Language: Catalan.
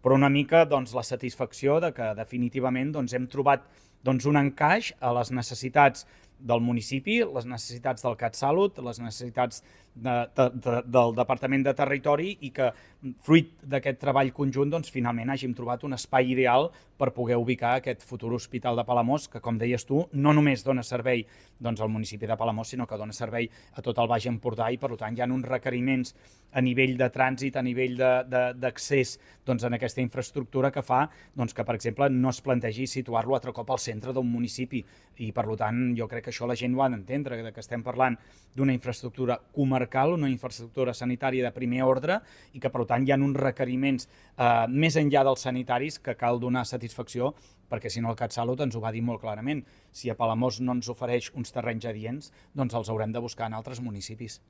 però una mica la satisfacció de que definitivament hem trobat un encaix a les necessitats del municipi, les necessitats del CatSalut, les necessitats del Departament de Territori i que, fruit d'aquest treball conjunt, finalment hàgim trobat un espai ideal per poder ubicar aquest futur hospital de Palamós, que, com deies tu, no només dona servei al municipi de Palamós, sinó que dona servei a tot el Baix Empordà i, per tant, hi ha uns requeriments a nivell de trànsit, a nivell d'accés en aquesta infraestructura que fa que, per exemple, no es plantegi situar-lo altre cop al centre d'un municipi i, per tant, jo crec que això la gent ho ha d'entendre, que estem parlant d'una infraestructura comarcal, una infraestructura sanitària de primer ordre i que, per tant, hi ha uns requeriments més enllà dels sanitaris que cal donar satisfacció, perquè si no el CatSalut ens ho va dir molt clarament. Si a Palamós no ens ofereix uns terrenys adients, doncs els haurem de buscar en altres municipis.